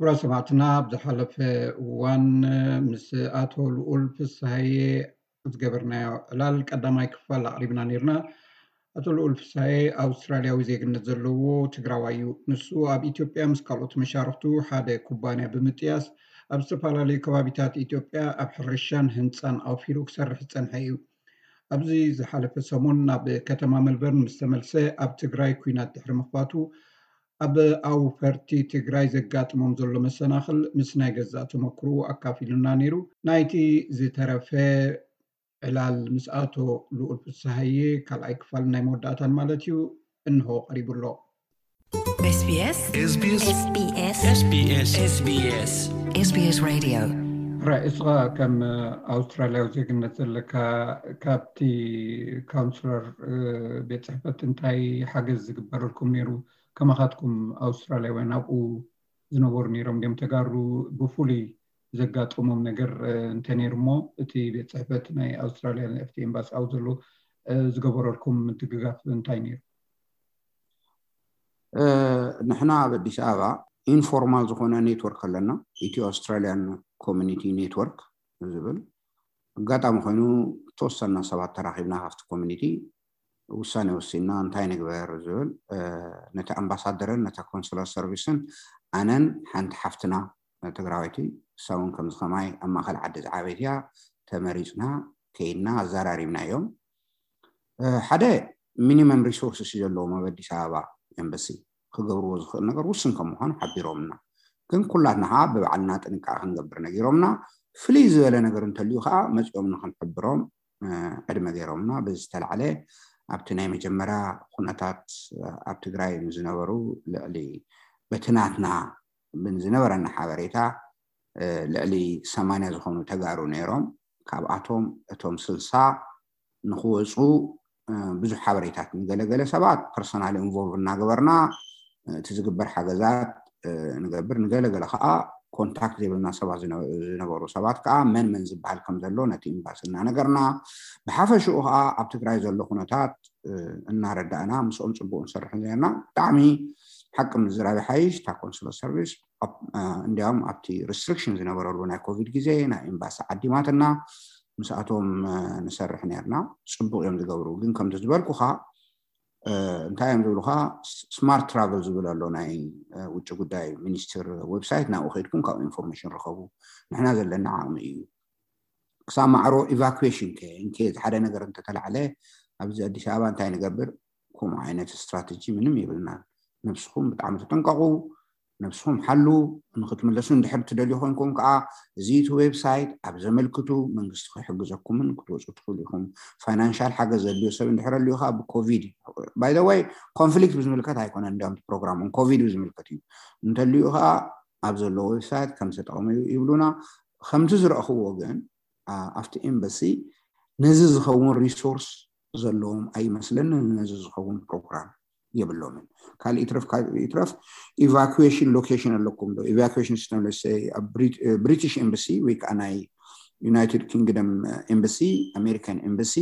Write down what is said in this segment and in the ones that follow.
ክቡራት ሰማዕትና፣ ኣብ ዝሓለፈ እዋን ምስ ኣቶ ልኡል ፍስሃየ ዝገበርናዮ ዕላል ቀዳማይ ክፋል ኣቕሪብና ነይርና። ኣቶ ልኡል ፍስሃየ ኣውስትራልያዊ ዜግነት ዘለዎ ትግራዋይ እዩ። ንሱ ኣብ ኢትዮጵያ ምስ ካልኦት መሻርኽቱ ሓደ ኩባንያ ብምጥያስ ኣብ ዝተፈላለዩ ከባቢታት ኢትዮጵያ ኣብ ሕርሻን ህንፃን ኣውፊሩ ክሰርሕ ዝፀንሐ እዩ። ኣብዚ ዝሓለፈ ሰሙን ናብ ከተማ መልበርን ምስ ተመልሰ፣ ኣብ ትግራይ ኲናት ድሕሪ ምኽፋቱ ኣብ ኣውፈርቲ ትግራይ ዘጋጥሞም ዘሎ መሰናኽል ምስ ናይ ገዛእ ተመክርኡ ኣካፊሉና ነይሩ። ናይቲ ዝተረፈ ዕላል ምስ ኣቶ ልኡል ፍስሃየ ካልኣይ ክፋል ናይ መወዳእታን ማለት እዩ፣ እንሆ ቀሪቡ ኣሎ። SBS SBS SBS SBS SBS Radio። ራይ፣ እስኻ ከም ኣውስትራልያዊ ዜግነት ዘለካ፣ ካብቲ ካውንስለር ቤት ጽሕፈት እንታይ ሓገዝ ዝግበረልኩም ነይሩ? ከማኻትኩም ኣውስትራልያውያን ኣብኡ ዝነበሩ ነይሮም ድዮም? ተጋሩ ብፍሉይ ዘጋጠሞም ነገር እንተ ነይሩ እሞ፣ እቲ ቤት ጽሕፈት ናይ ኣውስትራልያ ኣብቲ ኤምባሲ ኣብኡ ዘሎ ዝገበረልኩም ምድግጋፍ እንታይ ነይሩ? ንሕና ኣብ ኣዲስ ኣበባ ኢንፎርማል ዝኾነ ኔትወርክ ኣለና፣ ኢትዮ ኣውስትራልያን ኮሚኒቲ ኔትወርክ ዝብል። ኣጋጣሚ ኮይኑ ተወሰና ሰባት ተራኺብና ካብቲ ኮሚኒቲ ውሳኔ ወሲንና፣ እንታይ ንግበር ዝብል። ነቲ ኣምባሳደርን ነታ ኮንስለር ሰርቪስን ኣነን ሓንቲ ሓፍትና ትግራወይቲ፣ እሳ እውን ከምዚ ከማይ ኣብ ማእኸል ዓዲ ዝዓበየት እያ፣ ተመሪፅና ከይድና ኣዘራሪብናዮም። ሓደ ሚኒመም ሪሶርስስ እዩ ዘለዎም ኣብ ኣዲስ ኣበባ ኤምባሲ፣ ክገብርዎ ዝኽእል ነገር ውስን ከም ምዃኑ ሓቢሮምና። ግን ኩላትና ከዓ ብባዕልና ጥንቃቐ ክንገብር ነጊሮምና። ፍልይ ዝበለ ነገር እንተልዩ ከዓ መፂኦም ንክንሕብሮም ዕድመ ገይሮምና። በዚ ዝተላዕለ ኣብቲ ናይ መጀመርያ ኩነታት ኣብ ትግራይ ዝነበሩ ልዕሊ በቲ ናትና ዝነበረና ሓበሬታ ልዕሊ ሰማንያ ዝኾኑ ተጋሩ ነይሮም። ካብኣቶም እቶም ስልሳ ንክወፁ ብዙሕ ሓበሬታት፣ ንገለገለ ሰባት ፐርሰናል ኢንቮልቭ እናገበርና እቲ ዝግበር ሓገዛት ንገብር፣ ንገለገለ ከዓ ኮንታክት ዘይብልና ሰባት ዝነበሩ ሰባት ከዓ መን መን ዝበሃል ከም ዘሎ ነቲ ኤምባሲ እናነገርና፣ ብሓፈሽኡ ከዓ ኣብ ትግራይ ዘሎ ኩነታት እናረዳእና ምስኦም ፅቡቅ ንሰርሕ ነርና። ብጣዕሚ ሓቂ ምዝራብ ይሓይሽ። እታ ኮንስለር ሰርቪስ እንዲያውም ኣብቲ ሪስትሪክሽን ዝነበረሉ ናይ ኮቪድ ግዜ ናይ ኤምባሲ ዓዲማትና ምስኣቶም ንሰርሕ ነርና። ፅቡቅ እዮም ዝገብሩ። ግን ከምቲ ዝበልኩካ እንታይ እዮም ዝብሉካ፣ ስማርት ትራቨል ዝብል ኣሎ ናይ ውጭ ጉዳይ ሚኒስትር ዌብሳይት፣ ናብኡ ከይድኩም ካብኡ ኢንፎርሜሽን ርከቡ። ንሕና ዘለና ዓቕሚ እዩ። ክሳብ ማዕሮ ኢቫኩዌሽን ከ እንኬ ሓደ ነገር እንተተላዕለ ኣብዚ ኣዲስ ኣበባ እንታይ ንገብር? ከምኡ ዓይነት ስትራተጂ ምንም የብልናን። ነብስኹም ብጣዕሚ ተጠንቀቑ፣ ነብስኹም ሓሉ። ንክትምለሱ እንድሕር ትደልዩ ኮንኩም ከዓ እዚ እቲ ዌብሳይት ኣብ ዘመልክቱ መንግስቲ ክሕግዘኩምን ክትወፁ ትኽእሉ ኢኹም። ፋይናንሻል ሓገዝ ዘድልዮ ሰብ እንድሕር ኣልዩ ከዓ ብኮቪድ፣ ባይ ዘ ወይ ኮንፍሊክት ብዝምልከት ኣይኮነን፣ እንዲያውም ፕሮግራም ኮቪድ ብዝምልከት እዩ። እንተልዩ ከዓ ኣብ ዘሎ ዌብሳይት ከም ዝተጠቕሙ ይብሉና። ከምቲ ዝረእኽዎ ግን ኣብቲ ኤምባሲ ነዚ ዝኸውን ሪሶርስ ዘለዎም ኣይመስለንን። ነዚ ዝኸውን ፕሮግራም የብሎምን። ካልእ ይትረፍ፣ ካልእ ይትረፍ፣ ኢቫኩዌሽን ሎኬሽን ኣለኩም ዶ? ኢቫኩዌሽን ሲስተም፣ let's say፣ ኣብ ብሪቲሽ ኤምባሲ ወይ ከዓ ናይ ዩናይትድ ኪንግደም ኤምባሲ፣ ኣሜሪካን ኤምባሲ፣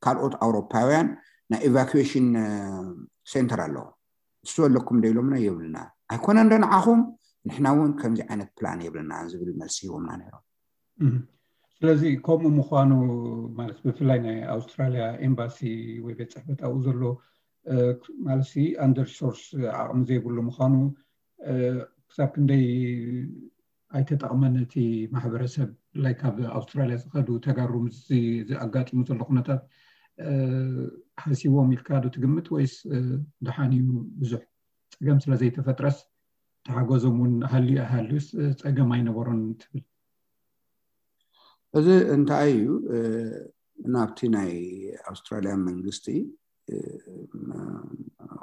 ካልኦት ኣውሮፓውያን ናይ ኢቫኩዌሽን ሴንተር ኣለዎ። እሱ ኣለኩም ዶ ኢሎምና? የብልና። ኣይኮነን ዶ ንዓኹም? ንሕና እውን ከምዚ ዓይነት ፕላን የብልና ዝብል መልሲ ሂቦምና ነይሮም። ስለዚ ከምኡ ምዃኑ ማለት፣ ብፍላይ ናይ ኣውስትራልያ ኤምባሲ ወይ ቤት ጽሕፈት ኣብኡ ዘሎ ማለት፣ ኣንደር ሪሶርስ ዓቕሚ ዘይብሉ ምዃኑ፣ ክሳብ ክንደይ ኣይተጠቕመን እቲ ማሕበረሰብ? ላይ ካብ ኣውስትራልያ ዝኸዱ ተጋሩ ምስዚ ኣጋጢሙ ዘሎ ኩነታት ሓሲቦም ኢልካ ዶ ትግምት፣ ወይስ ደሓን እዩ? ብዙሕ ፀገም ስለ ዘይተፈጥረስ ተሓገዞም እውን ሃልዩ ኣይሃልዩስ ፀገም ኣይነበሮን ትብል? እዚ እንታይ እዩ? ናብቲ ናይ ኣውስትራልያ መንግስቲ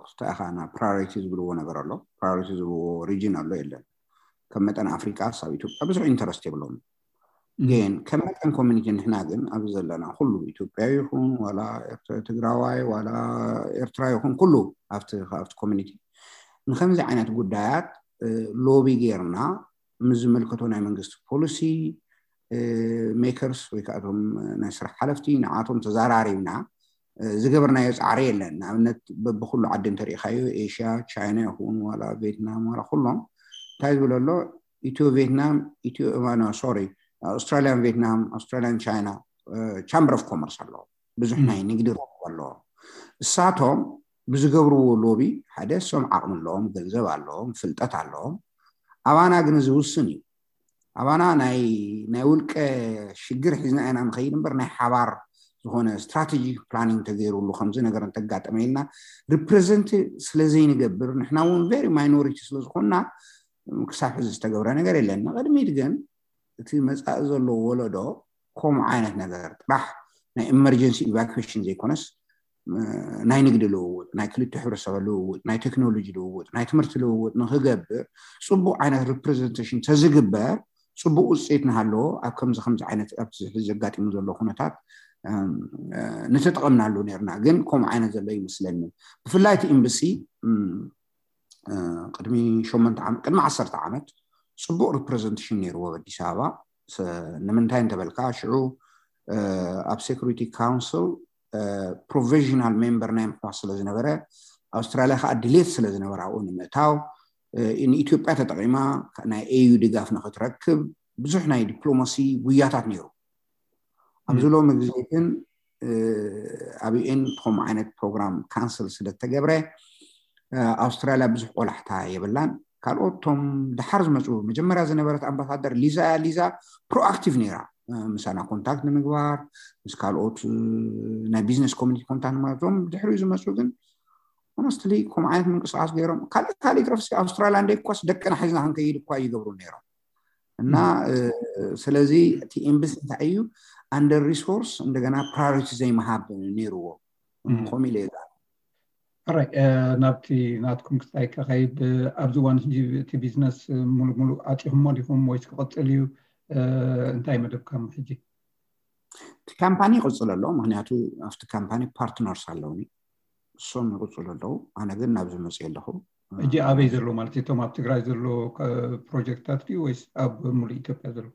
ክስታይ ኢኻ ና ፕራዮሪቲ ዝብልዎ ነገር ኣሎ። ፕራዮሪቲ ዝብልዎ ሪጅን ኣሎ የለን። ከም መጠን ኣፍሪቃስ ኣብ ኢትዮጵያ ብዙሕ ኢንተረስት የብሎም። ግን ከም መጠን ኮሚኒቲ ንሕና ግን ኣብዚ ዘለና ኩሉ ኢትዮጵያዊ ይኹን ዋላ ትግራዋይ ዋላ ኤርትራ ይኹን ኩሉ ኣብቲ ኮሚኒቲ ንከምዚ ዓይነት ጉዳያት ሎቢ ጌርና ምስ ዝምልከቶ ናይ መንግስቲ ፖሊሲ ሜከርስ ወይ ከዓ እቶም ናይ ስራሕ ሓለፍቲ ንዓቶም ተዘራሪብና ዝገበርናዮ ፃዕሪ የለን። ንኣብነት በብኩሉ ዓዲ እንተሪኢኻዮ ኤሽያ፣ ቻይና ይኹን ዋላ ቬትናም ዋላ ኩሎም እንታይ ዝብል ኣሎ፣ ኢትዮ ቬትናም ኢትዮ ማኖ ሶሪ ኣውስትራሊያን ቬትናም ኣውስትራሊያን ቻይና ቻምበር ኦፍ ኮመርስ ኣለዎም። ብዙሕ ናይ ንግዲ ረብሓ ኣለዎም። እሳቶም ብዝገብርዎ ሎቢ ሓደ እሶም ዓቕሚ ኣለዎም፣ ገንዘብ ኣለዎም፣ ፍልጠት ኣለዎም። ኣባና ግን እዚ ውስን እዩ። ኣባና ናይ ናይ ውልቀ ሽግር ሒዝና ኢና ንኸይድ እምበር ናይ ሓባር ዝኾነ ስትራቴጂክ ፕላኒንግ ተገይሩሉ ከምዚ ነገር እንተጋጠመ ኢልና ሪፕሬዘንት ስለ ዘይንገብር ንሕና እውን ቨሪ ማይኖሪቲ ስለ ዝኾንና ክሳብ ሕዚ ዝተገብረ ነገር የለን። ንቕድሚት ግን እቲ መፃኢ ዘሎ ወለዶ ከምኡ ዓይነት ነገር ጥራሕ ናይ ኢመርጀንሲ ኢቫኩዌሽን ዘይኮነስ ናይ ንግዲ ልውውጥ፣ ናይ ክልተ ሕብረተሰብ ልውውጥ፣ ናይ ቴክኖሎጂ ልውውጥ፣ ናይ ትምህርቲ ልውውጥ ንክገብር ፅቡቅ ዓይነት ሪፕሬዘንቴሽን ተዝግበር ፅቡቅ ውፅኢት ንሃለዎ ኣብ ከምዚ ከምዚ ዓይነት ኣብቲ ሕዚ ዘጋጢሙ ዘሎ ኩነታት ንተጠቐምናሉ ነርና። ግን ከምኡ ዓይነት ዘሎ ይመስለኒ። ብፍላይ እቲ ኤምባሲ ቅድሚ ሸሞንተ ዓመት ቅድሚ ዓሰርተ ዓመት ፅቡቅ ሪፕሬዘንቴሽን ነይርዎ ኣብ ኣዲስ ኣበባ። ንምንታይ እንተበልካ ሽዑ ኣብ ሴኩሪቲ ካውንስል ፕሮቪዥናል ሜምበር ናይ ምሕዋስ ስለ ዝነበረ ኣውስትራሊያ ከዓ ድሌት ስለ ዝነበረ ኣብኡ ንምእታው ንኢትዮጵያ ተጠቂማ ናይ ኤዩ ድጋፍ ንክትረክብ ብዙሕ ናይ ዲፕሎማሲ ጉያታት ነይሩ። ኣብዚ ሎሚ ግዜ ግን ኣብ ዩኤን ከምኡ ዓይነት ፕሮግራም ካንስል ስለ ዝተገብረ ኣውስትራሊያ ብዙሕ ቆላሕታ የብላን። ካልኦት ቶም ደሓር ዝመፁ መጀመርያ ዝነበረት ኣምባሳደር ሊዛ እያ። ሊዛ ፕሮኣክቲቭ ነይራ ምሳና ኮንታክት ንምግባር ምስ ካልኦት ናይ ቢዝነስ ኮሚኒቲ ኮንታክት ንምግባር። እዞም ድሕሪኡ ዝመፁ ግን ሆነስትሊ ከምኡ ዓይነት ምንቅስቃስ ገይሮም ካልእ ካልእ ይትረፍሲ ኣውስትራሊያ እንደ እኳስ ደቅና ሒዝና ክንከይድ እኳ ይገብሩ ነይሮም። እና ስለዚ እቲ ኤምባሲ እንታይ እዩ ኣንደር ሪሶርስ እንደገና ፕራዮሪቲ ዘይምሃብ ነይርዎ ከምኡ ኢለ እየ። ሕራይ ናብቲ ናትኩም ክስታይ ከኸይድ ኣብዚ እዋን ሕጂ እቲ ቢዝነስ ሙሉእ ሙሉእ ዓፂኹሞ ዲኹም ወይስ ክቕፅል እዩ? እንታይ መደብካም ሕጂ? እቲ ካምፓኒ ይቕፅል ኣሎ። ምክንያቱ ኣብቲ ካምፓኒ ፓርትነርስ ኣለውኒ፣ እሶም ይቕፅሉ ኣለዉ። ኣነ ግን ናብዚ መፅእ ኣለኹ። ሕጂ ኣበይ ዘሎ ማለት እቶም ኣብ ትግራይ ዘሎ ፕሮጀክትታት ድዩ ወይስ ኣብ ሙሉእ ኢትዮጵያ ዘሎ?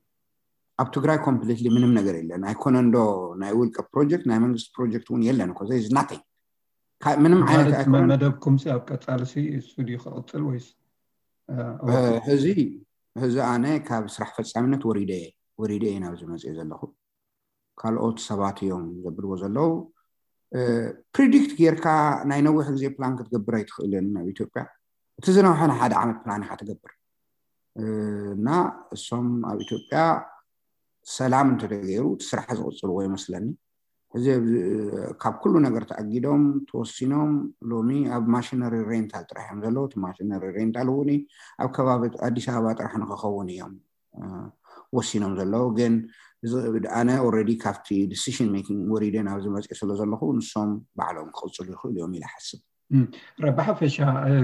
ኣብ ትግራይ ኮምፕሊትሊ ምንም ነገር የለን። ኣይኮነን ዶ ናይ ውልቀ ፕሮጀክት ናይ መንግስቲ ፕሮጀክት እውን የለን እኮ። ዘይ ናቲንግ ምንም ዓይነት መደብኩም ኣብ ቀፃሊ እሱ ድዩ ክቕፅል ወይስ? ሕዚ ሕዚ ኣነ ካብ ስራሕ ፈፃሚነት ወሪደ ወሪደ እየ ናብዚ መፅእ ዘለኹ። ካልኦት ሰባት እዮም ዘብልዎ ዘለዉ። ፕሪዲክት ጌርካ ናይ ነዊሕ ግዜ ፕላን ክትገብር ኣይትኽእልን ኣብ ኢትዮጵያ። እቲ ዝነውሐ ንሓደ ዓመት ፕላን ኢኻ ትገብር እና እሶም ኣብ ኢትዮጵያ ሰላም እንተተገይሩ እቲ ስራሕ ዝቕፅልዎ ይመስለኒ። ሕዚ ካብ ኩሉ ነገር ተኣጊዶም ተወሲኖም ሎሚ ኣብ ማሽነሪ ሬንታል ጥራሕ እዮም ዘለዉ። እቲ ማሽነሪ ሬንታል እውን ኣብ ከባቢ ኣዲስ ኣበባ ጥራሕ ንክኸውን እዮም ወሲኖም ዘለዉ። ግን ኣነ ኦልሬዲ ካብቲ ዲሲሽን ሜኪንግ ወሪደ ናብዚ መፅእ ስለ ዘለኹ ንሶም ባዕሎም ክቕፅሉ ይኽእሉ እዮም ኢለ ሓስብ። ብሓፈሻ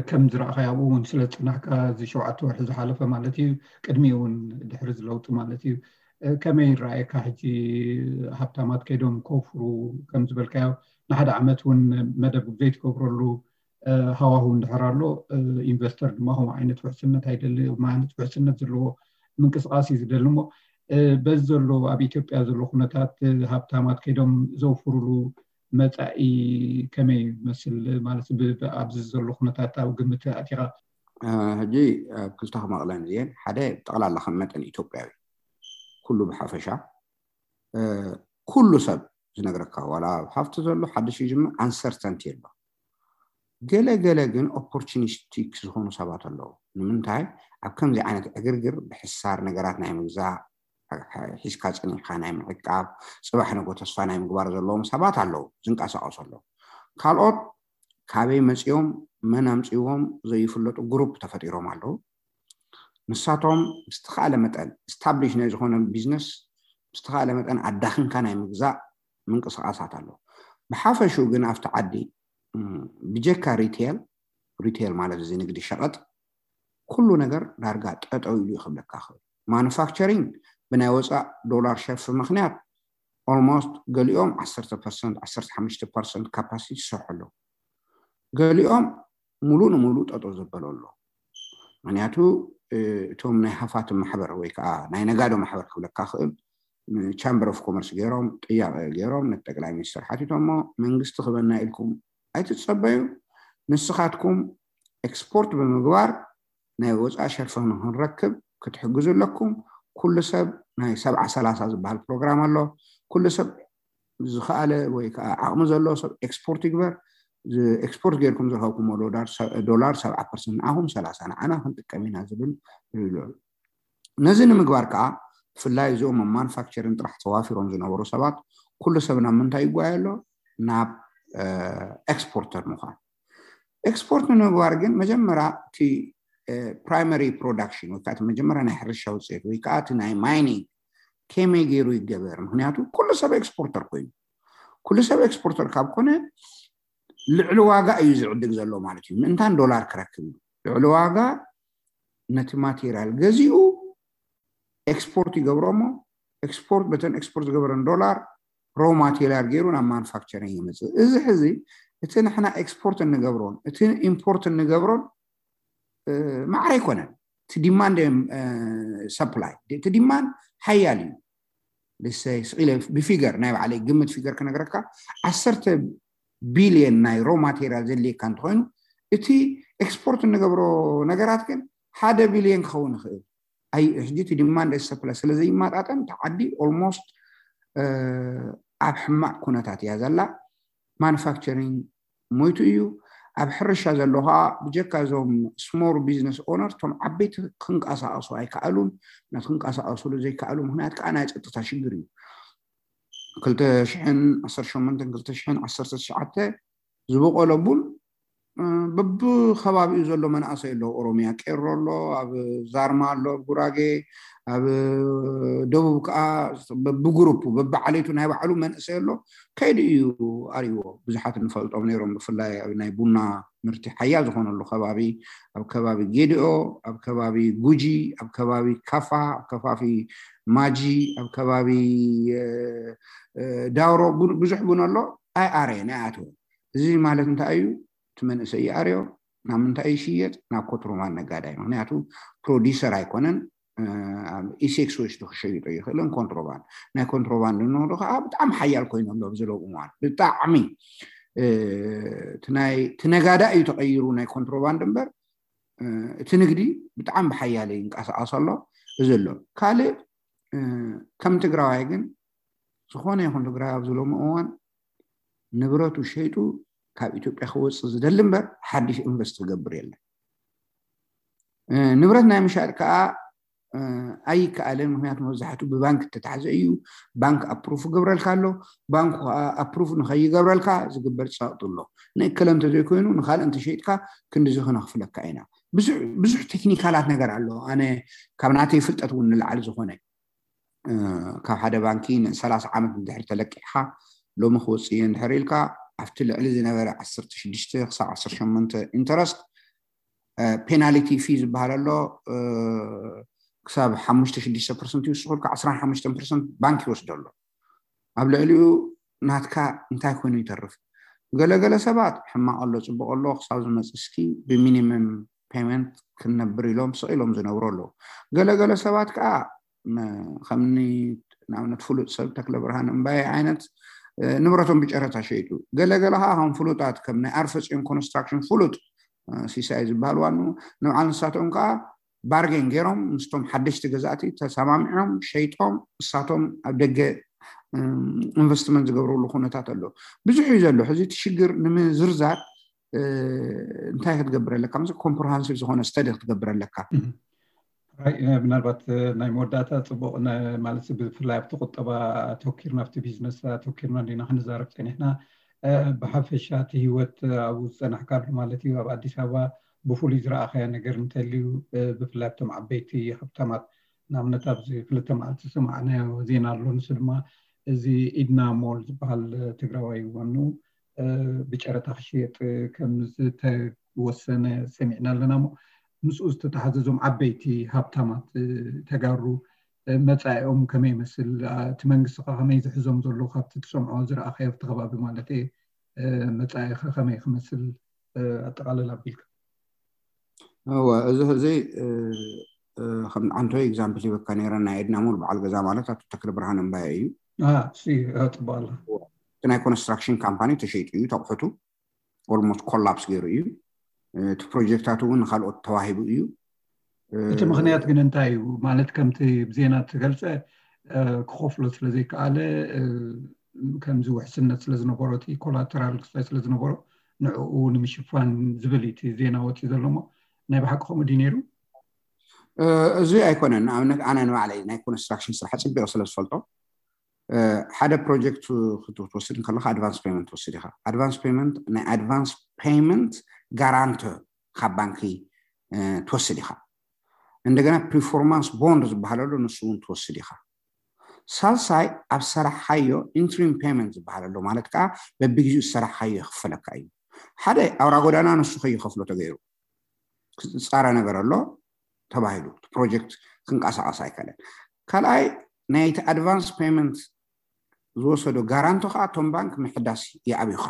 ከም ዝረእኻዮ ኣብኡ እውን ስለ ዝፅናሕካ እዚ ሸውዓተ ወርሒ ዝሓለፈ ማለት እዩ፣ ቅድሚ እውን ድሕሪ ዝለውጢ ማለት እዩ። ከመይ ይረኣየካ ሕጂ ሃብታማት ከይዶም ከውፍሩ ከም ዝበልካዮ ንሓደ ዓመት እውን መደብ ዘይትገብረሉ ሃዋሁ እንድሕር ኣሎ ኢንቨስተር ድማ ከምኡ ዓይነት ውሕስነት ኣይደሊ። ማለት ውሕስነት ዘለዎ ምንቅስቃስ እዩ ዝደሊ። እሞ በዚ ዘሎ ኣብ ኢትዮጵያ ዘሎ ኩነታት ሃብታማት ከይዶም ዘውፍሩሉ መፃኢ ከመይ ይመስል? ማለት ኣብዚ ዘሎ ኩነታት ኣብ ግምት ኣቲኻ? ሕጂ ኣብ ክልተ ክመቕለን እዚአን ሓደ ጠቕላላ ከም መጠን ኢትዮጵያዊ ኩሉ ብሓፈሻ ኩሉ ሰብ ዝነግረካ ዋላ ኣብ ሃፍቲ ዘሎ ሓድሽ ይጅምር ኣንሰርተንቲ ኣሎ። ገለ ገለ ግን ኦፖርቹኒስቲክ ዝኾኑ ሰባት ኣለዉ። ንምንታይ ኣብ ከምዚ ዓይነት ዕግርግር ብሕሳር ነገራት ናይ ምግዛእ ሒዝካ ፀኒሕካ ናይ ምዕቃብ ፅባሕ ንጎ ተስፋ ናይ ምግባር ዘለዎም ሰባት ኣለዉ ዝንቀሳቀሱ ኣለዉ። ካልኦት ካበይ መፂኦም መን ኣምፅዎም ዘይፍለጡ ግሩፕ ተፈጢሮም ኣለዉ። ንሳቶም ብዝተኻለ መጠን ስታብሊሽ ናይ ዝኾነ ቢዝነስ ብዝተኻለ መጠን ኣዳኺምካ ናይ ምግዛእ ምንቅስቃሳት ኣሎ። ብሓፈሽኡ ግን ኣብቲ ዓዲ ብጀካ ሪቴል፣ ሪቴል ማለት እዚ ንግዲ ሸቐጥ ኩሉ ነገር ዳርጋ ጠጠው ኢሉ ይኽብለካ ይኽእል። ማኑፋክቸሪንግ ብናይ ወፃእ ዶላር ሸርፊ ምክንያት ኦልሞስት ገሊኦም ዓሰርተ ፐርሰንት ዓሰርተ ሓሙሽተ ፐርሰንት ካፓሲቲ ይሰርሑ ኣለዉ። ገሊኦም ሙሉእ ንሙሉእ ጠጠው ዘበሎ ኣሎ። ምክንያቱ እቶም ናይ ሃፋትም ማሕበር ወይ ከዓ ናይ ነጋዶ ማሕበር ክብለካ ክእል ቻምበር ኦፍ ኮመርስ ገይሮም ጥያቄ ገይሮም ነቲ ጠቅላይ ሚኒስትር ሓቲቶሞ መንግስቲ ክበና ኢልኩም ኣይትፀበዩ፣ ንስኻትኩም ኤክስፖርት ብምግባር ናይ ወፃኢ ሸርፊ ንክንረክብ ክትሕግዙ ኣለኩም። ኩሉ ሰብ ናይ ሰብዓ ሰላሳ ዝበሃል ፕሮግራም ኣሎ። ኩሉ ሰብ ዝኸኣለ ወይ ከዓ ዓቕሚ ዘለዎ ሰብ ኤክስፖርት ይግበር። ኤክስፖርት ጌርኩም ዝረኸብኩሞ ዶላር ሰብዓ ፐርሰንት ንዓኹም፣ ሰላሳ ንዓና ክንጥቀም ኢና ዝብል ይብሉ። ነዚ ንምግባር ከዓ ብፍላይ እዚኦም ኣብ ማኑፋክቸሪንግ ጥራሕ ተዋፊሮም ዝነበሩ ሰባት ኩሉ ሰብ ናብ ምንታይ ይጓየ ኣሎ? ናብ ኤክስፖርተር ምዃን። ኤክስፖርት ንምግባር ግን መጀመርያ እቲ ፕራይመሪ ፕሮዳክሽን ወይ ከዓ እቲ መጀመርያ ናይ ሕርሻ ውፅኢት ወይ ከዓ እቲ ናይ ማይኒንግ ከመይ ገይሩ ይገበር? ምክንያቱ ኩሉ ሰብ ኤክስፖርተር ኮይኑ፣ ኩሉ ሰብ ኤክስፖርተር ካብ ኮነ ልዕሊ ዋጋ እዩ ዝዕድግ ዘሎ ማለት እዩ። ምእንታን ዶላር ክረክብ እዩ። ልዕሊ ዋጋ ነቲ ማቴሪያል ገዚኡ ኤክስፖርት ይገብሮ እሞ ኤክስፖርት በተን ኤክስፖርት ዝገበረን ዶላር ሮ ማቴሪያል ገይሩ ናብ ማኑፋክቸሪንግ ይመፅእ። እዚ ሕዚ እቲ ንሕና ኤክስፖርት እንገብሮን እቲ ኢምፖርት እንገብሮን ማዕረ ኣይኮነን። እቲ ዲማንድ ሰፕላይ፣ እቲ ዲማንድ ሓያል እዩ። ልሰይ ስኢለ ብፊገር ናይ ባዕለይ ግምት ፊገር ክነግረካ፣ ዓሰርተ ቢልዮን ናይ ሮ ማቴሪያል ዘድልየካ እንተኮይኑ፣ እቲ ኤክስፖርት እንገብሮ ነገራት ግን ሓደ ቢልዮን ክኸውን ይኽእል። ኣይ ሕጂ እቲ ዲማንድ ሰፕላይ ስለ ዘይማጣጠን፣ እቲ ዓዲ ኦልሞስት ኣብ ሕማቅ ኩነታት እያ ዘላ። ማኑፋክቸሪንግ ሞይቱ እዩ። ኣብ ሕርሻ ዘሎ ከዓ ብጀካ እዞም ስሞል ቢዝነስ ኦነር፣ እቶም ዓበይቲ ክንቀሳቀሱ ኣይከኣሉን። ናት ክንቀሳቀሱሉ ዘይከኣሉ ምክንያት ከዓ ናይ ፀጥታ ሽግር እዩ። ክልተ ሽሕን ዓሰርተ ሸሞንተን ክልተ ሽሕን ዓሰርተ ትሽዓተ ዝበቆለ ቡን በብከባቢኡ ዘሎ መናእሰይ ኣሎ። ኦሮሚያ ቄሮ ኣሎ፣ ኣብ ዛርማ ኣሎ፣ ኣብ ጉራጌ፣ ኣብ ደቡብ ከዓ በብግሩፕ በብዓሌቱ ናይ ባዕሉ መንእሰይ ኣሎ። ከይዲ እዩ ኣርዎ። ብዙሓት እንፈልጦም ነይሮም፣ ብፍላይ ኣብ ናይ ቡና ምርቲ ሓያል ዝኾነሉ ከባቢ፣ ኣብ ከባቢ ጌዲኦ፣ ኣብ ከባቢ ጉጂ፣ ኣብ ከባቢ ካፋ፣ ኣብ ከባቢ ማጂ፣ ኣብ ከባቢ ዳውሮ ብዙሕ ቡን ኣሎ። ኣይ ኣረየን ኣይ ኣትወን። እዚ ማለት እንታይ እዩ? እቲ መንእሰይ ይኣርዮ። ናብ ምንታይ ይሽየጥ? ናብ ኮትሮማን ነጋዳይ። ምክንያቱ ፕሮዲሰር ኣይኮነን። ኢሴክስ ወስዱ ክሸይጦ ይኽእልን ኮንትሮባንድ። ናይ ኮንትሮባንድ ንወዶ ከዓ ብጣዕሚ ሓያል ኮይኑ ኣሎ ኣብዚ ሎሚ እዋን። ብጣዕሚ እቲ ነጋዳ እዩ ተቐይሩ ናይ ኮንትሮባንድ እምበር፣ እቲ ንግዲ ብጣዕሚ ብሓያለ ይንቀሳቐስ ኣሎ። እዚ ኣሎ። ካልእ ከም ትግራዋይ ግን ዝኾነ ይኹን ትግራይ ኣብዚ ሎሚ እዋን ንብረቱ ሸይጡ ካብ ኢትዮጵያ ክወፅእ ዝደሊ እምበር ሓድሽ ኢንቨስት ክገብር የለን። ንብረት ናይ ምሻጥ ከዓ ኣይከኣልን። ምክንያቱ መብዛሕትኡ ብባንክ እተታሕዘ እዩ። ባንክ ኣፕሩፍ ክገብረልካ ኣሎ። ባንክ ከዓ ኣፕሩፍ ንኸይገብረልካ ዝግበር ፀቕጢ ኣሎ። ንእከለ እንተዘይኮይኑ ንካልእ እንተሸይጥካ ክንድዚ ክነኽፍለካ ኢና። ብዙሕ ቴክኒካላት ነገር ኣሎ። ኣነ ካብ ናተይ ፍልጠት እውን ንላዕሊ ዝኾነ ካብ ሓደ ባንኪ ንሰላሳ ዓመት እንድሕር ተለቂሕካ ሎሚ ክወፅእ እየ እንድሕር ኢልካ ኣብቲ ልዕሊ ዝነበረ ዓሰርተ ሽዱሽተ ክሳብ ዓሰርተ ሸሞንተ ኢንተረስት ፔናልቲ ፊ ዝበሃል ኣሎ። ክሳብ ሓሙሽተ ሽዱሽተ ፐርሰንት ይውስኹልካ፣ ዓስራን ሓሙሽተን ፐርሰንት ባንክ ይወስዶ ኣሎ። ኣብ ልዕሊኡ ናትካ እንታይ ኮይኑ ይተርፍ? ገለገለ ሰባት ሕማቕ ኣሎ ፅቡቕ ኣሎ ክሳብ ዝመፅእ እስኪ ብሚኒመም ፔመንት ክንነብር ኢሎም ስቕ ኢሎም ዝነብሩ ኣለዉ። ገለገለ ሰባት ከዓ ከምኒ ንኣብነት ፍሉጥ ሰብ ተክለ ብርሃን እምባየ ዓይነት ንብረቶም ብጨረታ ሸይጡ፣ ገለገለ ከዓ ከም ፍሉጣት ከም ናይ ኣርፈፅዮን ኮንስትራክሽን ፍሉጥ ሲሳይ ዝበሃል ዋኑ ንብዓል ንሳቶም ከዓ ባርጌን ገይሮም ምስቶም ሓደሽቲ ገዛእቲ ተሰማሚዖም ሸይጦም እሳቶም ኣብ ደገ ኢንቨስትመንት ዝገብረሉ ኩነታት ኣሎ። ብዙሕ እዩ ዘሎ። ሕዚ እቲ ሽግር ንምዝርዛር እንታይ ክትገብር ኣለካ? ምስ ኮምፕረሃንሲቭ ዝኾነ ስተዲ ክትገብር ኣለካ። ምናልባት ናይ መወዳእታ ፅቡቅ ማለት ብፍላይ ኣብቲ ቁጠባ ኣተኪርና ኣብቲ ቢዝነስ ኣተኪርና እንዲና ክንዛረብ ፀኒሕና። ብሓፈሻ እቲ ህይወት ኣብኡ ዝፀናሕካሉ ማለት እዩ ኣብ ኣዲስ ኣበባ ብፍሉይ ዝረኣኻዮ ነገር እንተልዩ ብፍላይ ኣብቶም ዓበይቲ ሃብታማት ንኣብነት ኣብዚ ክልተ መዓልቲ ዝሰማዕናዮ ዜና ኣሎ። ንሱ ድማ እዚ ኢድና ሞል ዝበሃል ትግራዋይ ዋንኡ ብጨረታ ክሽየጥ ከም ዝተወሰነ ሰሚዕና ኣለና። እሞ ምስኡ ዝተተሓዘ እዞም ዓበይቲ ሃብታማት ተጋሩ መፃኢኦም ከመይ ይመስል? እቲ መንግስቲ ከ ከመይ ዝሕዞም ዘሎ ካብቲ ትሰምዖ ዝረኣኻዮ ኣብቲ ከባቢ ማለት እየ። መፃኢ ከ ከመይ ክመስል ኣጠቓለል ኣቢልካ? እወ፣ እዚ ሕዚ ከም ዓንቶ ኤግዛምፕል ሂበካ ነይረ። ናይ ኤድና ሞል በዓል ገዛ ማለት ኣቶ ተክለ ብርሃን እምባየ እዩ። ፅቡቅ ኣሎ። እቲ ናይ ኮንስትራክሽን ካምፓኒ ተሸይጡ እዩ፣ ተቑሑቱ ኦልሞስት ኮላፕስ ገይሩ እዩ። እቲ ፕሮጀክታት እውን ንካልኦት ተዋሂቡ እዩ። እቲ ምኽንያት ግን እንታይ እዩ? ማለት ከምቲ ብዜና እተገልጸ ክኸፍሎ ስለ ዘይከኣለ፣ ከምዚ ውሕስነት ስለ ዝነበሮ፣ እቲ ኮላተራል ክስታይ ስለ ዝነበሮ፣ ንዕኡ ንምሽፋን ዝብል እዩ እቲ ዜና ወፂኡ ዘሎ። እሞ ናይ ብሓቂ ከምኡ ድዩ ነይሩ? እዚ ኣይኮነን። ንኣብነት ኣነ ንባዕለይ ናይ ኮንስትራክሽን ስራሕ ፅቢቕ ስለ ዝፈልጦ፣ ሓደ ፕሮጀክት ክትወስድ ከለካ ኣድቫንስ ፔመንት ትወስድ ኢካ። ኣድቫንስ ፔመንት፣ ናይ ኣድቫንስ ፔመንት ጋራንተር ካብ ባንኪ ትወስድ ኢካ። እንደገና ፕሪፎርማንስ ቦንድ ዝበሃል ኣሎ፣ ንሱ እውን ትወስድ ኢካ። ሳልሳይ ኣብ ሰራሕካዮ ኢንትሪም ፔመንት ዝበሃል ኣሎ፣ ማለት ከዓ በብግዜኡ ዝሰራሕካዮ ይኽፈለካ እዩ። ሓደ ኣውራ ጎዳና ንሱ ከይኸፍሎ ተገይሩ ዝፃረ ነገር ኣሎ ተባሂሉ፣ እቲ ፕሮጀክት ክንቀሳቀስ ኣይከለን። ካልኣይ ናይቲ ኣድቫንስ ፔመንት ዝወሰዶ ጋራንቶ ከዓ እቶም ባንክ ምሕዳስ ይኣብዩካ።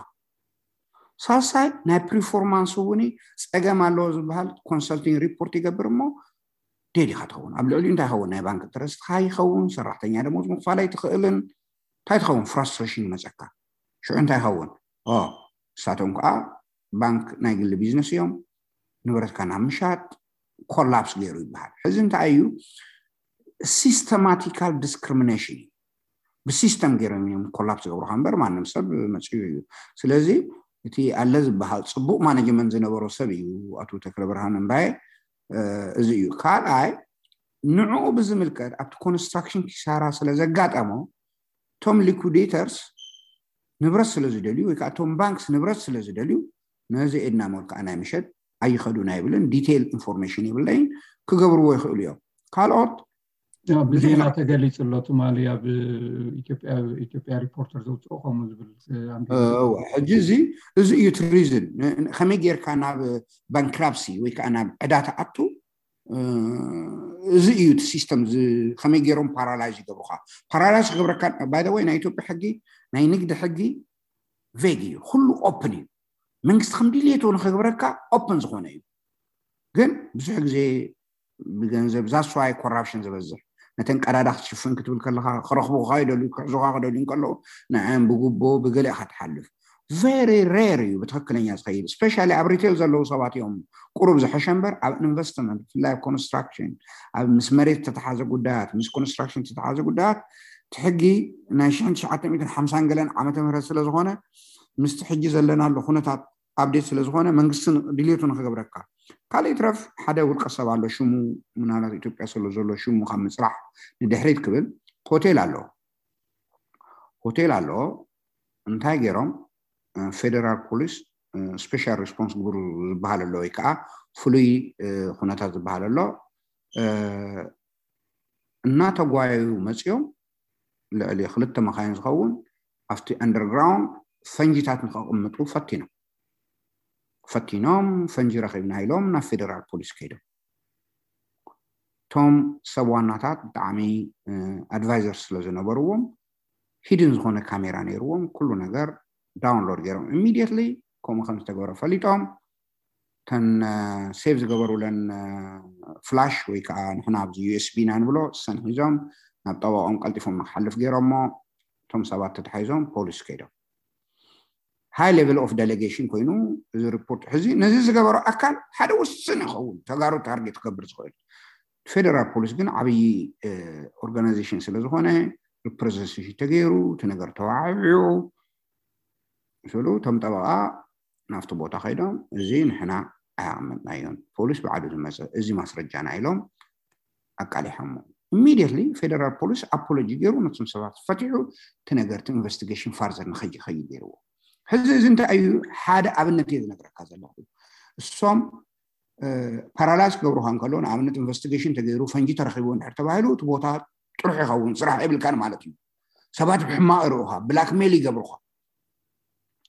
ሳልሳይ ናይ ፕሪፎርማንስ እውን ፀገም ኣለዎ ዝበሃል ኮንሰልቲንግ ሪፖርት ይገብር እሞ ዴድ ኢካ ትኸውን። ኣብ ልዕሊኡ እንታይ ይኸውን? ናይ ባንክ ኢንተረስትካ ይኸውን፣ ሰራሕተኛ ደሞዝ ምክፋል ኣይትኽእልን። እንታይ ትኸውን? ፍራስትሬሽን ይመፀካ። ሽዑ እንታይ ይኸውን? እሳቶም ከዓ ባንክ ናይ ግሊ ቢዝነስ እዮም፣ ንብረትካ ናብ ምሻጥ ኮላፕስ ገይሩ ይበሃል። ሕዚ እንታይ እዩ? ሲስተማቲካል ዲስክሪሚኔሽን እዩ። ብሲስተም ገይሮም እዮም ኮላፕስ ዝገብሩካ እምበር ማንም ሰብ መፅኡ እዩ። ስለዚ እቲ ኣለ ዝበሃል ፅቡቅ ማኔጅመንት ዝነበሮ ሰብ እዩ ኣቶ ተክለ ብርሃን እምባየ። እዚ እዩ። ካልኣይ ንዕኡ ብዝምልከት ኣብቲ ኮንስትራክሽን ኪሳራ ስለ ዘጋጠሞ እቶም ሊኩዴተርስ ንብረት ስለ ዝደልዩ ወይ ከዓ እቶም ባንክስ ንብረት ስለ ዝደልዩ ነዚ ኤድና ሞል ከዓ ናይ ምሸጥ ኣይኸዱን ኣይብልን። ዲቴይል ኢንፎርሜሽን የብለይን። ክገብርዎ ይኽእሉ እዮም። ካልኦት ብዜና ተገሊፁ ኣሎ ትማሊ ኣብ ኢትዮጵያ ሪፖርተር ዘውፅኦ ከምኡ ዝብል። ሕጂ እዚ እዚ እዩ እቲ ሪዝን ከመይ ጌርካ ናብ ባንክራፕሲ ወይ ከዓ ናብ ዕዳ ትኣቱ። እዚ እዩ እቲ ሲስተም። ከመይ ገይሮም ፓራላይዝ ይገብሩካ? ፓራላይዝ ክገብረካ ባይ ወይ ናይ ኢትዮጵያ ሕጊ ናይ ንግዲ ሕጊ ቬግ እዩ። ኩሉ ኦፕን እዩ። መንግስቲ ከም ድልየቱ ንክገብረካ ኦፕን ዝኾነ እዩ። ግን ብዙሕ ግዜ ብገንዘብ ዛስዋይ ኮራፕሽን ዝበዝሕ ነተን ቀዳዳ ክትሽፍን ክትብል ከለካ ክረኽቡካ ይደልዩ፣ ክሕዙካ ክደልዩ ከለዉ ንዕም ብጉቦ ብገለ ኢካ ትሓልፍ። ቨሪ ሬር እዩ ብትክክለኛ ዝኸይድ። ስፔሻሊ ኣብ ሪቴል ዘለዉ ሰባት እዮም ቁሩብ ዝሐሸ እምበር ኣብ ኢንቨስትመንት ብፍላይ ኣብ ኮንስትራክሽን ኣብ ምስ መሬት ተተሓዘ ጉዳያት ምስ ኮንስትራክሽን ተተሓዘ ጉዳያት እቲ ሕጊ ናይ ሽሕን ትሽዓተ ሚእትን ሓምሳን ገለን ዓመተ ምህረት ስለ ዝኾነ ምስቲ ሕጂ ዘለናሉ ኩነታት ኣፕዴት ስለ ዝኾነ መንግስቲ ድልየቱ ንክገብረካ ካልእ ይትረፍ ሓደ ውልቀ ሰብ ኣሎ ሽሙ ምናልባት ኢትዮጵያ ስለ ዘሎ ሽሙ ካብ ምፅራሕ ንድሕሪት ክብል ሆቴል ኣሎ ሆቴል ኣሎ እንታይ ገይሮም ፌደራል ፖሊስ ስፔሻል ሪስፖንስ ግብሩ ዝበሃል ኣሎ ወይ ከዓ ፍሉይ ኩነታት ዝበሃል ኣሎ እናተጓየዩ መፅኦም ልዕሊ ክልተ መካይን ዝኸውን ኣብቲ ኣንደርግራውንድ ፈንጂታት ንከቕምጡ ፈቲኖም ፈቲኖም ፈንጂ ረኺብና ኢሎም ናብ ፌደራል ፖሊስ ከይዶም እቶም ሰብ ዋናታት ብጣዕሚ ኣድቫይዘር ስለ ዝነበርዎም ሂድን ዝኾነ ካሜራ ነይርዎም ኩሉ ነገር ዳውንሎድ ገይሮም ኢሚድየትሊ ከምኡ ከም ዝተገበረ ፈሊጦም ተን ሴቭ ዝገበሩለን ፍላሽ ወይ ከዓ ንሕና ኣብዚ ዩኤስቢ ኢና ንብሎ ሰን ሒዞም ናብ ጠበቆም ቀልጢፎም ንክሓልፍ ገይሮሞ እቶም ሰባት ተታሒዞም ፖሊስ ከይዶም ሃይ ሌቨል ኦፍ ዴሌጌሽን ኮይኑ እዚ ሪፖርት ሕዚ ነዚ ዝገበሮ ኣካል ሓደ ውስን ይኸውን ተጋሩ ታርጌት ክገብር ዝኽእል ፌደራል ፖሊስ ግን ዓብዪ ኦርጋናይዜሽን ስለ ዝኾነ ሪፕሬዘንቴሽን ተገይሩ እቲ ነገር ተዋዕብዑ ስሉ እቶም ጠበቃ ናብቲ ቦታ ከይዶም እዚ ንሕና ኣያቐመጥናዮን ፖሊስ ባዕሉ ዝመፀ እዚ ማስረጃና ኢሎም ኣቃሊሖሞ ኢሚድየትሊ ፌደራል ፖሊስ ኣፖሎጂ ገይሩ ነቶም ሰባት ፈቲሑ እቲ ነገርቲ ኢንቨስቲጌሽን ፋርዘር ንኸይኸይድ ገይርዎ ሕዚ እዚ እንታይ እዩ ሓደ ኣብነት እየ ዝነግረካ ዘለኹ እሶም ፓራላይዝ ክገብሩካ እንከሎ ንኣብነት ኢንቨስቲጌሽን ተገይሩ ፈንጂ ተረኪቡ እንድሕር ተባሂሉ እቲ ቦታ ጥሩሕ ይኸውን ስራሕ የብልካን ማለት እዩ ሰባት ብሕማቕ ይርኡካ ብላክሜል ይገብሩካ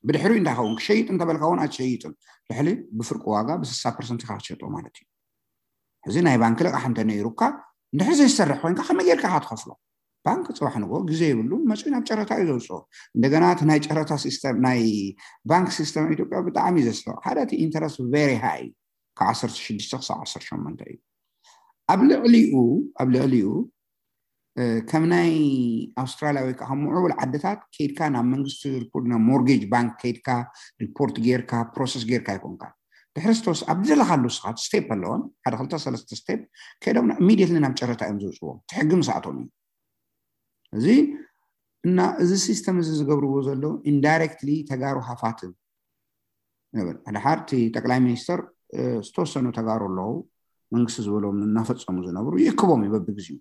ብድሕሪኡ እንታይ ኸውን ክሸይጥ እንተበልካ እውን ኣይትሸይጥን ልሕሊ ብፍርቂ ዋጋ ብስሳ ፐርሰንት ኢካ ክትሸጦ ማለት እዩ እዚ ናይ ባንክ ልቃሕ እንተነይሩካ እንድሕር ዘይሰርሕ ኮይንካ ከመይ ጌርካ ኢካ ትኸፍሎ ባንክ ፅባሕ ንጎ ግዜ የብሉን መፅኡ ናብ ጨረታ እዩ ዘውፅኦ እንደገና እቲ ናይ ጨረታ ሲስተም ናይ ባንክ ሲስተም ኢትዮጵያ ብጣዕሚ እዩ ዘስሕቕ ሓደ እቲ ኢንተረስት ቨሪ ሃይ ካብ ዓሰርተ ሽዱሽተ ክሳብ ዓሰርተ ሸሞንተ እዩ ኣብ ልዕሊኡ ኣብ ልዕሊኡ ከም ናይ ኣውስትራልያ ወይ ከዓ ምዕቡል ዓድታት ከይድካ ናብ መንግስቲ ሪፖርት ናብ ሞርጌጅ ባንክ ከይድካ ሪፖርት ጌርካ ፕሮሰስ ጌርካ ኣይኮንካ ድሕሪ ዝተወስ ኣብ ዝደለኻሉ ስኻ ስቴፕ ኣለዎም ሓደ ክልተ ሰለስተ ስቴፕ ከይዶም ኢሚዲየትሊ ናብ ጨረታ እዮም ዝውፅዎም እቲ ሕጊ ምስኣቶም እዩ እዚ እና እዚ ሲስተም እዚ ዝገብርዎ ዘለዉ ኢንዳይሬክትሊ ተጋሩ ሃፋትም ይብል ሓደ ሓርቲ ጠቅላይ ሚኒስተር ዝተወሰኑ ተጋሩ ኣለዉ መንግስቲ ዝበሎም እናፈፀሙ ዝነብሩ ይእክቦም እዩ በብግዚኡ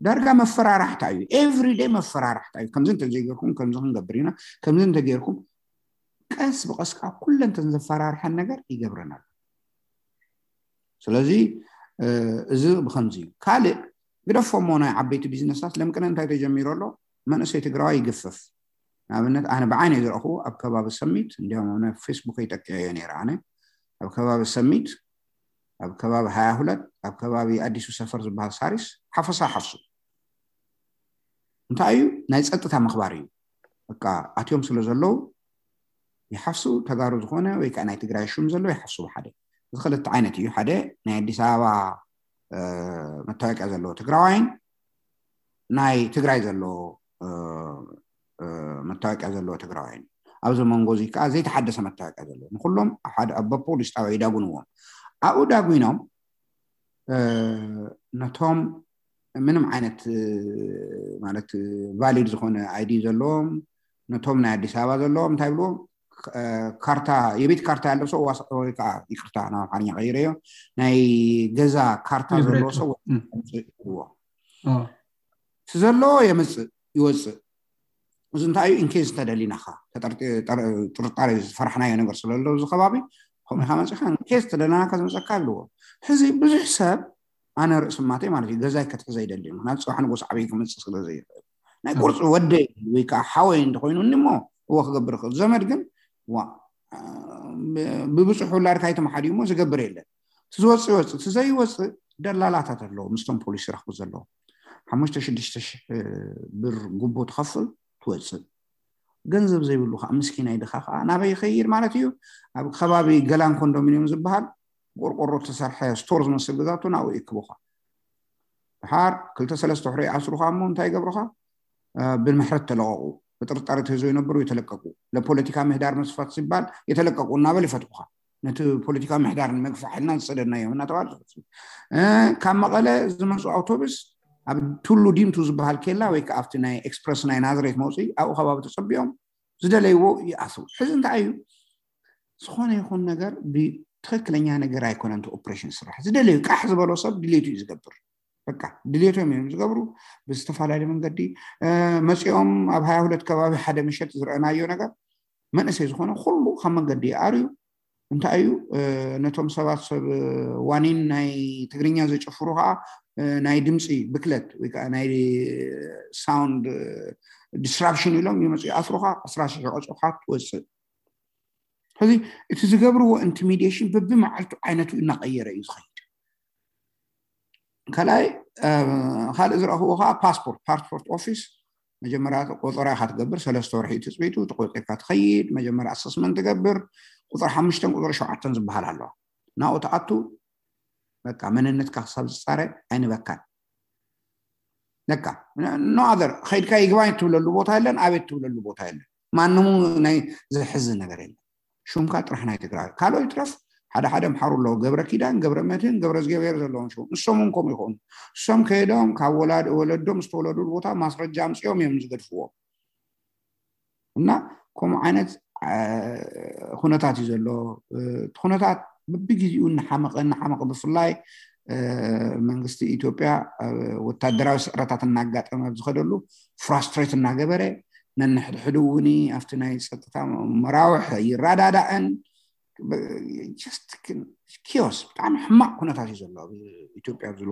ዳርጋ መፈራራሕታ እዩ ኤቭሪደይ መፈራራሕታ እዩ ከምዚ እንተዘይገርኩም ከምዚ ክንገብር ኢና ከምዚ እንተገርኩም ቀስ ብቀስ ከዓ ኩለን ተን ዘፈራርሐን ነገር ይገብረን ኣሎ ስለዚ እዚ ብከምዚ እዩ ካልእ ግደፎሞ ናይ ዓበይቲ ቢዝነሳት ለምቅነ እንታይ ተጀሚሩ ኣሎ መንእሰይ ትግራዋይ ይግፍፍ ንኣብነት ኣነ ብዓይነ ዝረእኹ ኣብ ከባቢ ሰሚት እንዲያውም ኣብ ፌስቡክ ይጠቅዐዮ ነይረ ኣነ ኣብ ከባቢ ሰሚት ኣብ ከባቢ ሃያ ሁለት ኣብ ከባቢ ኣዲሱ ሰፈር ዝበሃል ሳሪስ ሓፈሳ ሓፍሱ እንታይ እዩ ናይ ፀጥታ ምኽባር እዩ በቃ ኣትዮም ስለ ዘለዉ ይሓፍሱ ተጋሩ ዝኾነ ወይ ከዓ ናይ ትግራይ ሹም ዘለዎ ይሓፍሱ ሓደ እዚ ክልተ ዓይነት እዩ ሓደ ናይ ኣዲስ ኣበባ መታወቂያ ዘለዎ ትግራዋይን ናይ ትግራይ ዘለዎ መታወቂያ ዘለዎ ትግራዋይን ኣብዚ መንጎ እዚ ከዓ ዘይተሓደሰ መታወቂያ ዘለዎ ንኩሎም ሓደ ኣብ ፖሊስ ጣብያ ይዳጉንዎም ኣብኡ ዳጉኖም ነቶም ምንም ዓይነት ማለት ቫሊድ ዝኾነ ኣይዲ ዘለዎም ነቶም ናይ ኣዲስ ኣበባ ዘለዎም እንታይ ብልዎም ካርታ የቤት ካርታ ያለው ሰው ወይ ከዓ ይቅርታ ናብ ኣምሓርኛ ቀይረዮ ናይ ገዛ ካርታ ዘለዎ ሰው ይብዎ እቲ ዘለዎ የምፅእ ይወፅእ እዚ እንታይ እዩ ኢንኬዝ እንተደሊናካ ጥርጣሬ ዝፈራሕናዮ ነገር ስለሎ እዚ ከባቢ ከምኡ ኢኻ መፅኻ ኢንኬዝ ተደለናካ ዝመፀካ ኣለዎ ሕዚ ብዙሕ ሰብ ኣነ ርእሲ ማተይ ማለት እዩ ገዛይ ከትሕዘ ይደሊ ምክንያቱ ፅባሕ ንጎስ ዓበይ ክመፅእ ስለ ዘይኽእል ናይ ቁርፂ ወደይ ወይ ከዓ ሓወይ እንተኮይኑ እሞ እዎ ክገብር ይኽእል ዘመድ ግን ዋ ብብፁሕ ውላድካ ይተመሓድዩ እሞ ዝገብር የለን እቲ ዝወፅእ ይወፅእ እቲ ዘይወፅእ ደላላታት ኣለዎ ምስቶም ፖሊስ ይረኽቡ ዘለዉ ሓሙሽተ ሽዱሽተ ሽሕ ብር ጉቦ ትኸፍል ትወፅእ ገንዘብ ዘይብሉ ከዓ ምስኪናይ ድኻ ከዓ ናበይ ይኸይድ ማለት እዩ ኣብ ከባቢ ገላን ኮንዶሚኒየም ዝበሃል ቆርቆሮ ተሰርሐ ስቶር ዝመስል ገዛቱ ናብኡ ይክቡኻ ድሓር ክልተ ሰለስተ ሕሮ ይኣስሩኻ እሞ እንታይ ይገብሩኻ ብምሕረት ተለቀቁ ብጥርጣሬ ተይዞ ይነብሩ የተለቀቁ ለፖለቲካ ምህዳር መስፋት ሲባል የተለቀቁ እናበል ይፈትኩኻ ነቲ ፖለቲካ ምህዳር ንምግፋሕ ኢልና ዝሰደድናዮም እናተባለ ካብ መቐለ ዝመፁ ኣውቶቡስ ኣብ ቱሉ ዲምቱ ዝበሃል ኬላ ወይ ከዓ ኣብቲ ናይ ኤክስፕረስ ናይ ናዝሬት መውፅኢ ኣብኡ ከባቢ ተፀቢኦም ዝደለይዎ ይኣስሩ ሕዚ እንታይ እዩ ዝኾነ ይኹን ነገር ብትክክለኛ ነገር ኣይኮነን ኦፕሬሽን ስራሕ ዝደለዩ ቃሕ ዝበሎ ሰብ ድሌቱ እዩ ዝገብር በቃ ድሌቶም እዮም ዝገብሩ ብዝተፈላለዩ መንገዲ መፂኦም ኣብ ሃያ ሁለት ከባቢ ሓደ ምሸት ዝረአናዮ ነገር መንእሰይ ዝኾነ ኩሉ ካብ መንገዲ ይኣርዩ እንታይ እዩ ነቶም ሰባት ሰብ ዋኒን ናይ ትግርኛ ዘጨፍሩ ከዓ ናይ ድምፂ ብክለት ወይ ከዓ ናይ ሳውንድ ዲስራፕሽን ኢሎም ይመፁ ይኣስሩካ ኣስራ ሽሕ ቀፅሩካ ትወፅእ ሕዚ እቲ ዝገብርዎ ኢንቲሚዴሽን በብመዓልቱ ዓይነቱ እናቀየረ እዩ ዝኸይድ ካልኣይ ካልእ ዝረኽቡ ከዓ ፓስፖርት ፓስፖርት ኦፊስ መጀመርያ ቆፀራ ኢካ ትገብር ሰለስተ ወርሒ ትፅቢቱ ተቆፂርካ ትኸይድ መጀመርያ ኣሰስመንት ትገብር ቁፅሪ ሓሙሽተን ቁፅሪ ሸውዓተን ዝበሃል ኣለዋ ናብኡ ትኣቱ በቃ መንነትካ ክሳብ ዝፃረ ኣይንበካን በቃ no other ከይድካ ይግባኝ ትብለሉ ቦታ የለን ኣቤት ትብለሉ ቦታ የለን ማንሙ ናይ ዘሕዝን ነገር የለን ሹምካ ጥራሕ ናይ ትግራይ ካልኦ ይትረፍ ሓደ ሓደ ምሓሩ ኣለዎ ገብረ ኪዳን ገብረ መድህን ገብረ እግዚኣብሔር ዘለዎም ሽሙ ንሶም እውን ከምኡ ይኾኑ እሶም ከይዶም ካብ ወላድ ወለዶም ዝተወለዱሉ ቦታ ማስረጃ ኣምፅኦም እዮም ዝገድፍዎም እና ከምኡ ዓይነት ኩነታት እዩ ዘሎ እቲ ኩነታት በብግዜኡ እናሓመቐ እናሓመቐ ብፍላይ መንግስቲ ኢትዮጵያ ወታደራዊ ስዕረታት እናጋጠመ ኣብ ዝኸደሉ ፍራስትሬት እናገበረ ነንሕድሕዱ እውን ኣብቲ ናይ ፀጥታ መራውሕ ይረዳዳእን ኪዮስ ብጣዕሚ ሕማቕ ኩነታት እዩ ዘሎ ኣብ ኢትዮጵያ ዝሎ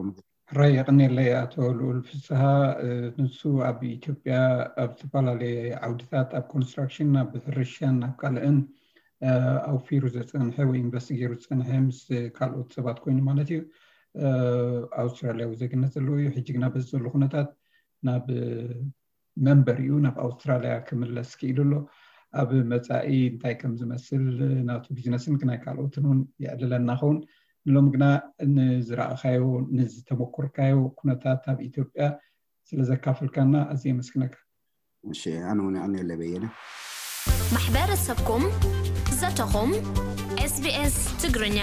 ራይ የቐኔለይ ኣቶ ልኡል ፍስሃ ንሱ ኣብ ኢትዮጵያ ኣብ ዝተፈላለየ ዓውድታት ኣብ ኮንስትራክሽን ኣብ ሕርሻን ኣብ ካልእን ኣውፊሩ ዘፀንሐ ወይ ኢንቨስት ገይሩ ዝፀንሐ ምስ ካልኦት ሰባት ኮይኑ ማለት እዩ ኣውስትራልያዊ ዜግነት ዘለዎ እዩ ሕጂ ግና በዚ ዘሎ ኩነታት ናብ መንበሪኡ ናብ ኣውስትራልያ ክምለስ ክኢሉ ኣሎ ኣብ መፃኢ እንታይ ከም ዝመስል ናቱ ቢዝነስን ናይ ካልኦትን እውን የዕልለና ኸውን ንሎም ግና ንዝረኣኻዮ ንዝተመኮርካዮ ኩነታት ኣብ ኢትዮጵያ ስለዘካፈልካና ኣዝየ የመስግነካ እሺ ኣነ እውን ኣነ ለበየነ ማሕበረሰብኩም ዘተኹም SBS ትግርኛ።